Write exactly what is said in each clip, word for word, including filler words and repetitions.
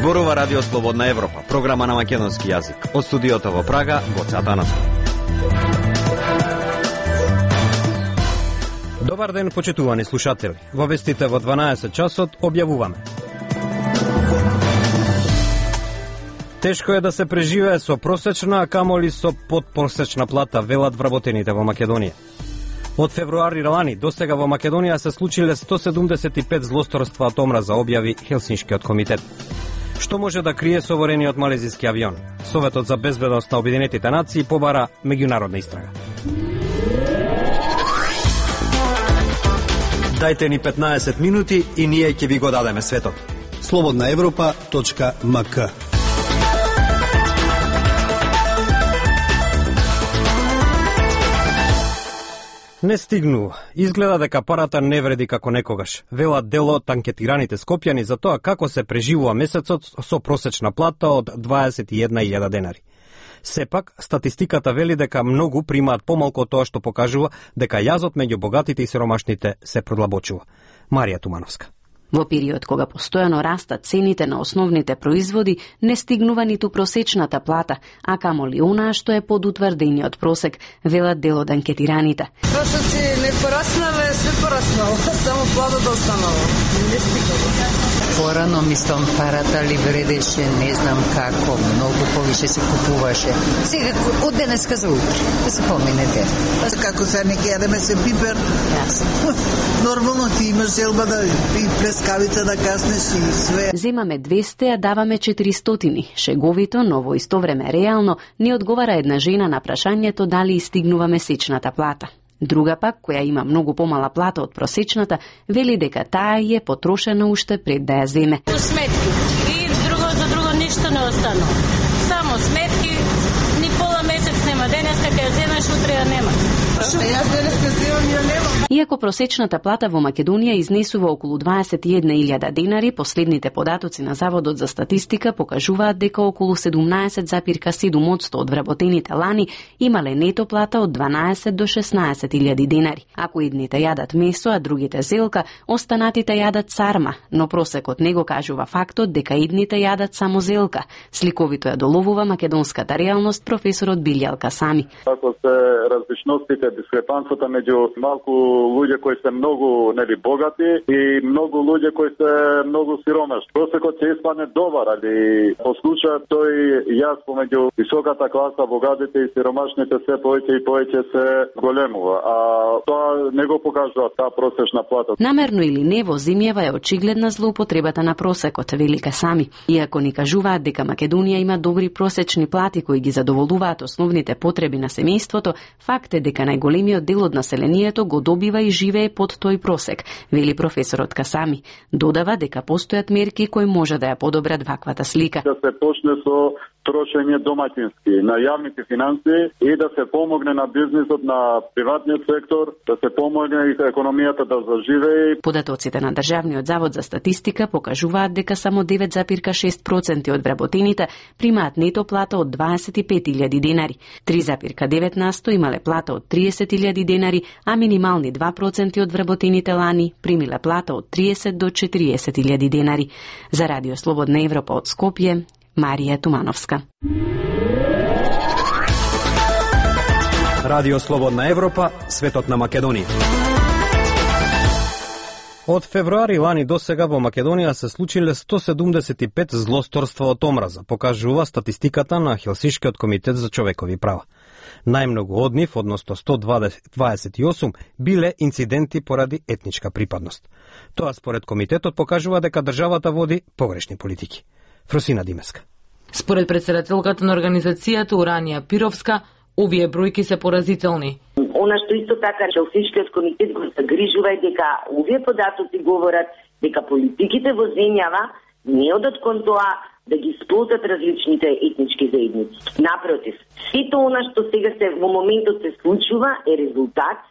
Зборува Радио Слободна Европа, програма на македонски јазик. Од студиото во Прага, Гоце Атанасов. Добар ден, почитувани слушатели. Во вестите во дванаесет часот објавуваме. Тешко е да се преживее со просечна, а камоли со подпросечна плата, велат вработените во Македонија. Од февруари лани до сега во Македонија се случиле сто седумдесет и пет злосторства од омраза, објави Хелсиншкиот комитет. Што може да крие соборениот малезиски авион? Советот за безбедност на Обединетите нации побара меѓународна истрага. Дајте ни петнаесет минути и ние ќе ви го дадеме светот. слободна европа точка ем ка. Не стигнува. Изгледа дека парата не вреди како некогаш. Велат дел од анкетираните скопјани за тоа како се преживува месецот со просечна плата од дваесет и една илјада денари. Сепак, статистиката вели дека многу примаат помалку од тоа што покажува дека јазот меѓу богатите и сиромашните се продлабочува. Марија Тумановска. Во период кога постојано растат цените на основните производи, не стигнува ниту просечната плата, а камоли онаа што е под утврдениот просек, велат дел од анкетираните. Прошоци не пораснаве, све пораснало, само платата останало. Не стигнува. Порано мислам парата ли вредеше, не знам како, многу повише се купуваше. Сега од денеска за утре, да се поминете. Како се не јадеме се пипер. Јасно. Нормално ти имаш желба да и плескавица да каснеш и све. Земаме двесте, а даваме четиристотини. Шеговито, но во исто време реално, не одговара една жена на прашањето дали истигнува месечната плата. Друга пак, која има многу помала плата од просечната, вели дека таа е потрошена уште пред да ја земе. Сметки. И друго за друго ништо не остано. Само сметки, ни пола месец нема. Денеска ќе ја земеш, утре ја нема. Јас денеска земам и ја немам. Иако просечната плата во Македонија изнесува околу дваесет и една илјада денари, последните податоци на Заводот за статистика покажуваат дека околу седумнаесет зарез седум одсто од вработените лани имале нето плата од дванаесет до шеснаесет илјади денари. Ако едните јадат месо, а другите зелка, останатите јадат царма, но просекот не го кажува фактот дека едните јадат само зелка. Сликовито ја доловува македонската реалност професорот Билјал Касами. Ако се различностите, дискрепанцата меѓу малку луѓе кои се многу нели богати и многу луѓе кои се многу сиромашни. Просекот ќе испадне добар, али по случај тој јас помеѓу високата класа, богатите и сиромашните се повеќе и повеќе се големува, а тоа не го покажува таа просечна плата. Намерно или не, во земјава е очигледна злоупотребата на просекот, вели Касами. Иако ни кажуваат дека Македонија има добри просечни плати кои ги задоволуваат основните потреби на семејството, факт е дека најголемиот дел од населението го добива и живее под тој просек, вели професорот Касами. Додава дека постојат мерки кои може да ја подобрат ваквата слика. Да се почне со трошење домаќински на јавните финансии и да се помогне на бизнисот, на приватниот сектор, да се помогне и економијата да заживее. Податоците на Државниот завод за статистика покажуваат дека само девет зарез шест проценти од вработените примаат нето плата од дваесет и пет илјади денари, три зарез девет насто имале плата од триесет илјади денари, а минимални два проценти од вработените лани примиле плата од триесет до четириесет илјади денари. За Радио Слободна Европа од Скопје, Марија Тумановска. Радио Слободна Европа, светот на Македонија. Од февруари лани до сега во Македонија се случиле сто седумдесет и пет злосторства од омраза, покажува статистиката на Хелсиншкиот комитет за човекови права. Најмногу од нив, односно сто дваесет и осум, биле инциденти поради етничка припадност. Тоа според комитетот покажува дека државата води погрешни политики. Фросина Димеска. Според председателката на организацијата Уранија Пировска, овие бројки се поразителни. Она што исто така Хелсиншкиот комитет го загрижува е дека овие податоци говорат дека политиките во земјава не одат кон тоа да ги сплотат различните етнички заедници. Напротив, сето она што сега се во моментот се случува е резултат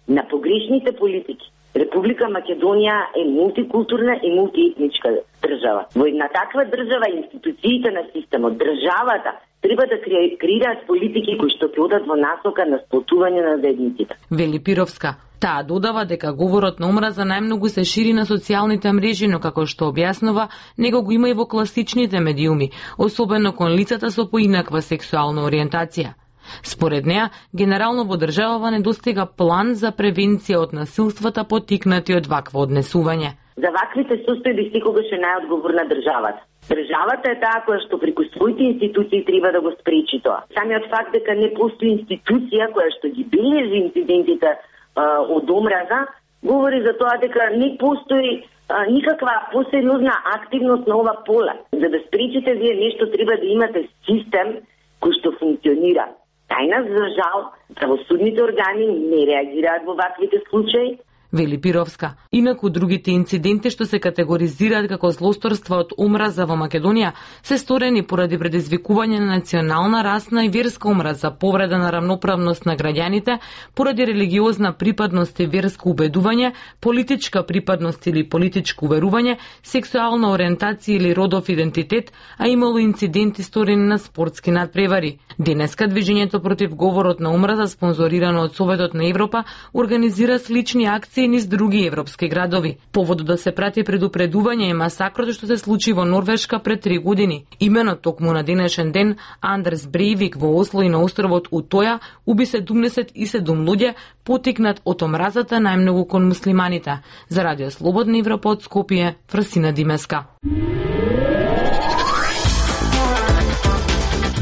на погрешните политики. Република Македонија е мултикултурна и мултиетничка држава. Во една таква држава институциите на системот, државата треба да креираат политики кои што ќе одат во насока на сплотување на заедниците. Вели Пировска, Таа додава дека говорот на омраза најмногу се шири на социјалните мрежи, но како што објаснува, него го има и во класичните медиуми, особено кон лицата со поинаква сексуална ориентација. Според неа, генерално во државава недостига план за превенција од насилствата поттикнати од вакво однесување. За ваквите состојби секогаш е најодговорна државата. Државата е таа која што преку своите институции треба да го спречи тоа. Самиот факт дека не постои институција која што ги бележи инцидентите а, од омраза, говори за тоа дека не постои а, никаква посериозна активност на ова поле. За да спречите вие нешто треба да имате систем кој што функционира. Тајнас, за жал, правосудните органи не реагираат во ваквите случаи, вели Пировска. Инаку другите инциденти што се категоризираат како злосторства од омраза во Македонија се сторени поради предизвикување на национална, расна и верска омраза, повреда на рамноправност на граѓаните, поради религиозна припадност и верско убедување, политичка припадност или политичко уверување, сексуална ориентација или родов идентитет, а имало инциденти сторени на спортски надпревари. Денеска движењето против говорот на омраза, спонзорирано од Советот на Европа, организира слични акции низ други европски градови. Поводот да се прати предупредување е масакрот што се случи во Норвешка пред три години. Имено токму на денешен ден Андерс Брейвик во Осло и на островот Утоја уби седумдесет и седум луѓе, потикнат од омразата најмногу кон муслиманите. За Радио Слободна Европа од Скопје, Фрасина Димеска.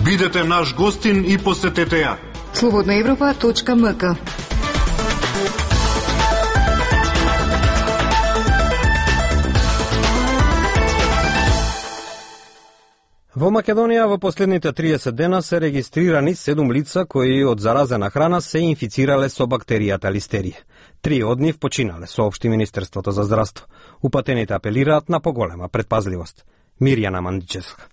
Бидете наш гостин и посетете ја. слободна европа точка ем ка. Во Македонија во последните триесет дена се регистрирани седум лица кои од заразена храна се инфицирале со бактеријата листерија. Три од нив починале, соопшти Министерството за здравство. Упатените апелираат на поголема предпазливост. Мирјана Мандичевска.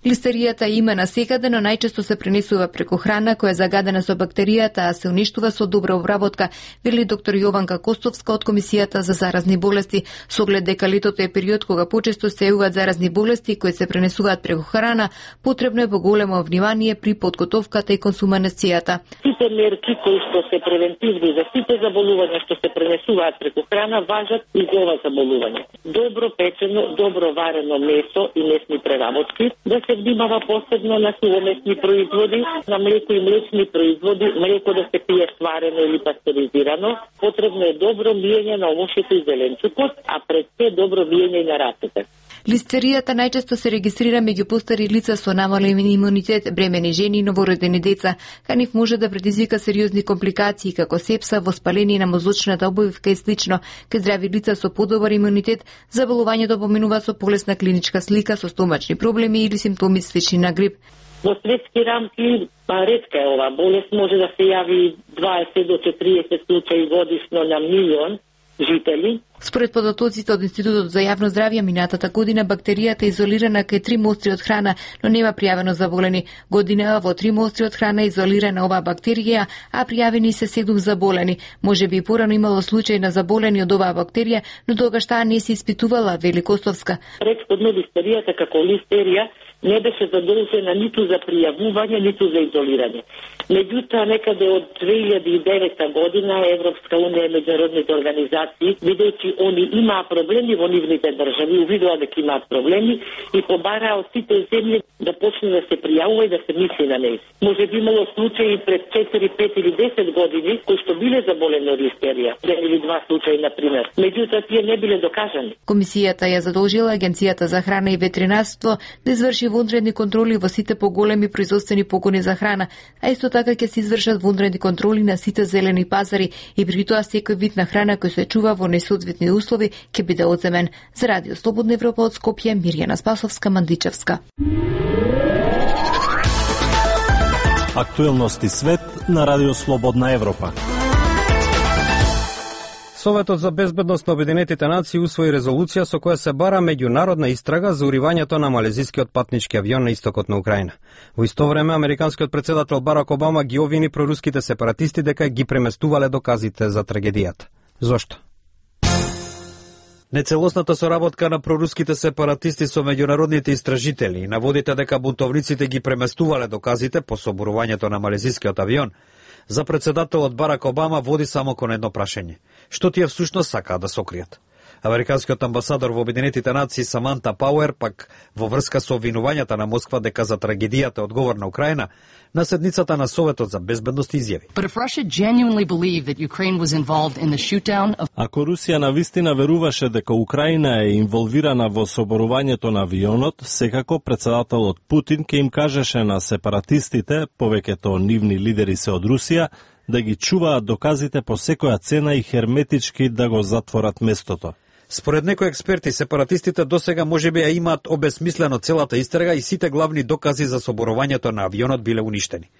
Листеријата има насекаде, но најчесто се пренесува преку храна која е загадена со бактеријата, а се уништува со добра обработка, вели доктор Јованка Костовска од Комисијата за заразни болести, со оглед дека летото е период кога почесто се јавуваат заразни болести кои се пренесуваат преку храна, потребно е поголемо внимание при подготовката и консумацијата. Сите мерки кои што се превентивни за сите заболувања што се пренесуваат преку храна важат и за ова заболување. Добро печено, добро варено месо и месни преработки, да се внимава посебно на сувомесни производи, на млеко и млечни производи, млеко да се пие сварено или пастеризирано. Потребно е добро миење на овошето и зеленчукот, а пред се добро миење и на рацете. Листеријата најчесто се регистрира меѓу постари лица со намален имунитет, бремени жени и новородени деца. Кај нив може да предизвика сериозни компликации како сепса, воспаление на мозочната обвивка и слично. Кај здрави лица со подобар имунитет, заболувањето поминува со полесна клиничка слика со стомачни проблеми или симптоми слични на грип. Во светски рамки ретка е ова болест, може да се јави дваесет до четириесет случаи годишно на милион жители. Според податоците од Институтот за јавно здравје, минатата година бактеријата е изолирана кај три мостри од храна, но нема пријавено заболени. Година во три мостри од храна е изолирана оваа бактерија, а пријавени се седум заболени. Може би и порано имало случај на заболени од оваа бактерија, но тогаш таа не се испитувала, вели Костовска. Претходно листеријата како листерија не беше задолжена ниту за пријавување, ниту за изолирање. Меѓутоа, некаде од две илјади и девета година Европска унија и меѓународните организации, видејќи они имаа проблеми во нивните држави, увидоа дека имаат проблеми и побараа од сите земји да почне да се пријавува и да се мисли на нејзи. Може би имало случаи пред четири, пет или десет години кои што биле заболени од листерија, еден или два случаи на пример. Меѓутоа тие не биле докажани. Комисијата ја задолжила Агенцијата за храна и ветеринарство да изврши вонредни контроли во сите поголеми производствени погони за храна, а исто така ќе се извршат вонредни контроли на сите зелени пазари и при тоа секој вид на храна кој се чува во несоодветни услови ќе биде одземен. За Радио Слободна Европа од Скопје, Мирјана Спасовска, Мандичевска. Актуелности свет на Радио Слободна Европа. Советот за безбедност на Обединетите нации усвои резолуција со која се бара меѓународна истрага за уривањето на малезискиот патнички авион на истокот на Украина. Во исто време, американскиот председател Барак Обама ги обвини проруските сепаратисти дека ги преместувале доказите за трагедијата. Зошто? Нецелосната соработка на проруските сепаратисти со меѓународните истражители наводите дека бунтовниците ги преместувале доказите по соборувањето на малезискиот авион За председателот Барак Обама води само кон едно прашање. Што тие всушност сакаат да сокријат? Американскиот амбасадор во Обединетите нации Саманта Пауер пак во врска со обвинувањата на Москва дека за трагедијата одговор на Украина, на седницата на Советот за безбедност изјави. Ако Русија навистина веруваше дека Украина е инволвирана во соборувањето на авионот, секако председателот Путин ќе им кажеше на сепаратистите, повеќето нивни лидери се од Русија, да ги чуваат доказите по секоја цена и херметички да го затворат местото. Според некои експерти, сепаратистите досега можеби ја имаат обесмислено целата истрага и сите главни докази за соборувањето на авионот биле уништени.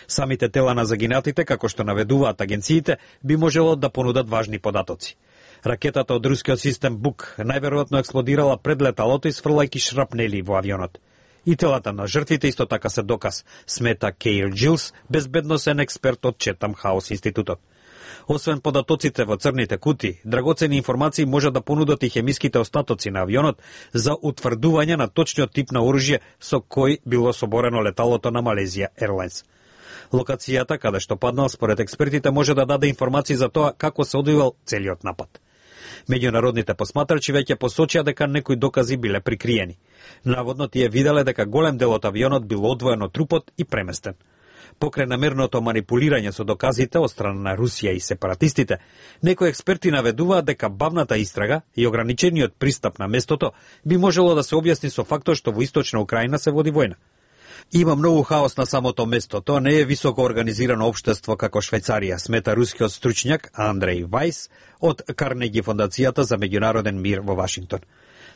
Самите тела на загинатите, како што наведуваат агенциите, би можело да понудат важни податоци. Ракетата од рускиот систем Бук најверојатно експлодирала пред леталото и сфрлајќи шрапнели во авионот. И телата на жртвите исто така се доказ, смета Кейл Джилс, безбедносен експерт од Четам Хаус институтот. Освен податоците во црните кутии, драгоцени информации може да понудат и хемиските остатоци на авионот за утврдување на точниот тип на оружје со кој било соборено леталото на Малезија Airlines. Локацијата каде што паднал според експертите може да даде информации за тоа како се одвивал целиот напад. Меѓународните посматрачи веќе посочија дека некои докази биле прикриени. Наводно тие виделе дека голем дел од авионот бил одвоен од трупот и преместен. Покрај намерното манипулирање со доказите од страна на Русија и сепаратистите, некои експерти наведуваат дека бавната истрага и ограничениот пристап на местото би можело да се објасни со фактот што во источна Украина се води војна. Има многу хаос на самото место, тоа не е високо организирано општество како Швајцарија, смета рускиот стручњак Андреј Вајс од Карнеги фондацијата за меѓународен мир во Вашингтон.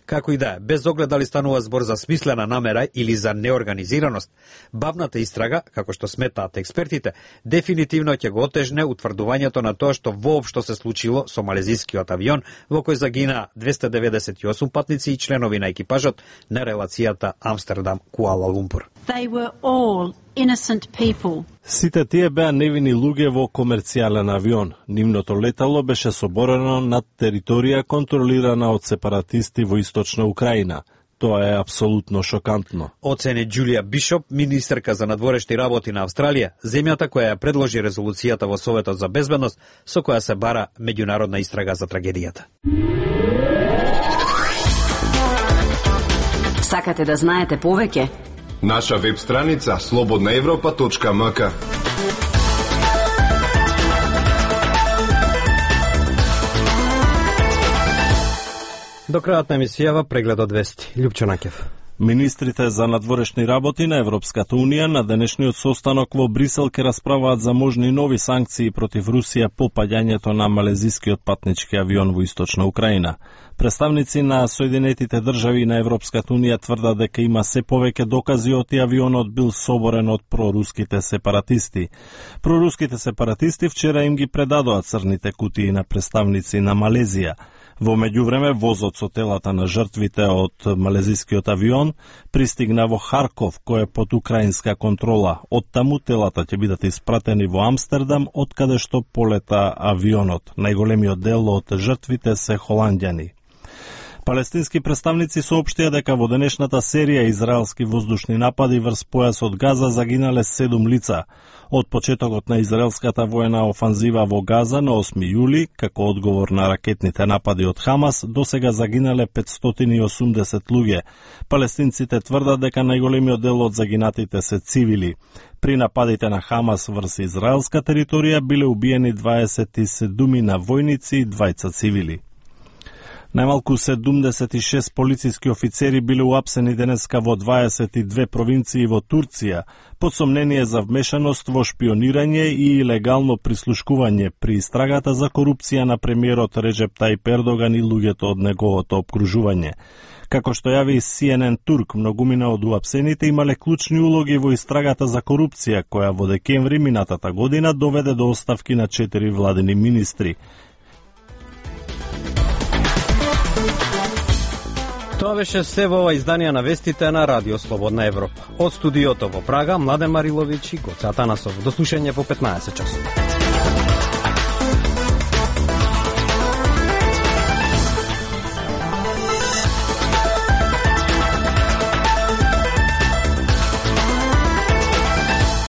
Како и да е, без оглед дали станува збор за смислена намера или за неорганизираност, бавната истрага, како што сметаат експертите, дефинитивно ќе го отежне утврдувањето на тоа што воопшто се случило со малезискиот авион во кој загина двесте деветдесет и осум патници и членови на екипажот на релацијата Амстердам-Куала Лумпур. They were all innocent people. Сите тие беа невини луѓе во комерцијален авион. Нивното летало беше соборено над територија контролирана од сепаратисти во источна Украина. Тоа е апсолутно шокантно. Оцени Џулија Бишоп, министерка за надворешни работи на Австралија, земјата која ја предложи резолуцијата во Советот за безбедност со која се бара меѓународна истрага за трагедијата. Сакате да знаете повеќе? Наша веб страница слободна европа точка ем ка. До крајот на емисијава прегледот вести. Лјупчо Накев. Министрите за надворешни работи на Европската Унија на денешниот состанок во Брисел ќе расправаат за можни нови санкции против Русија по паѓањето на малезискиот патнички авион во источна Украина. Представници на Соединетите држави на Европската Унија тврдат дека има се повеќе докази од и авионот бил соборен од проруските сепаратисти. Проруските сепаратисти вчера им ги предадоа црните кутии на представници на Малезија. Во меѓувреме, возот со телата на жртвите од малезискиот авион пристигна во Харков, кој е под украинска контрола. Од таму телата ќе бидат испратени во Амстердам, од каде што полета авионот. Најголемиот дел од жртвите се холанѓани. Палестински представници соопштија дека во денешната серија израелски воздушни напади врз појасот Газа загинале седум лица. Од почетокот на израелската воена офанзива во Газа на осми јули, како одговор на ракетните напади од Хамас, досега загинале петстотини и осумдесет луѓе. Палестинците тврдат дека најголемиот дел од загинатите се цивили. При нападите на Хамас врз израелска територија биле убиени дваесет и седумина војници и двајца цивили. Најмалку седумдесет и шест полициски офицери биле уапсени денеска во дваесет и две провинции во Турција, под сомнение за вмешаност во шпионирање и илегално прислушкување при истрагата за корупција на премиерот Реджеп Тајип Ердоган и луѓето од неговото обкружување. Како што јави Си Ен Ен Турк, многумина од уапсените имале клучни улоги во истрагата за корупција, која во декември минатата година доведе до оставки на четири владини министри. Тоа беше се во ова изданија на вестите на Радио Слободна Европа. Од студиото во Прага, Младен Мариловиќ и Гоце Атанасов. До слушање во петнаесет часот.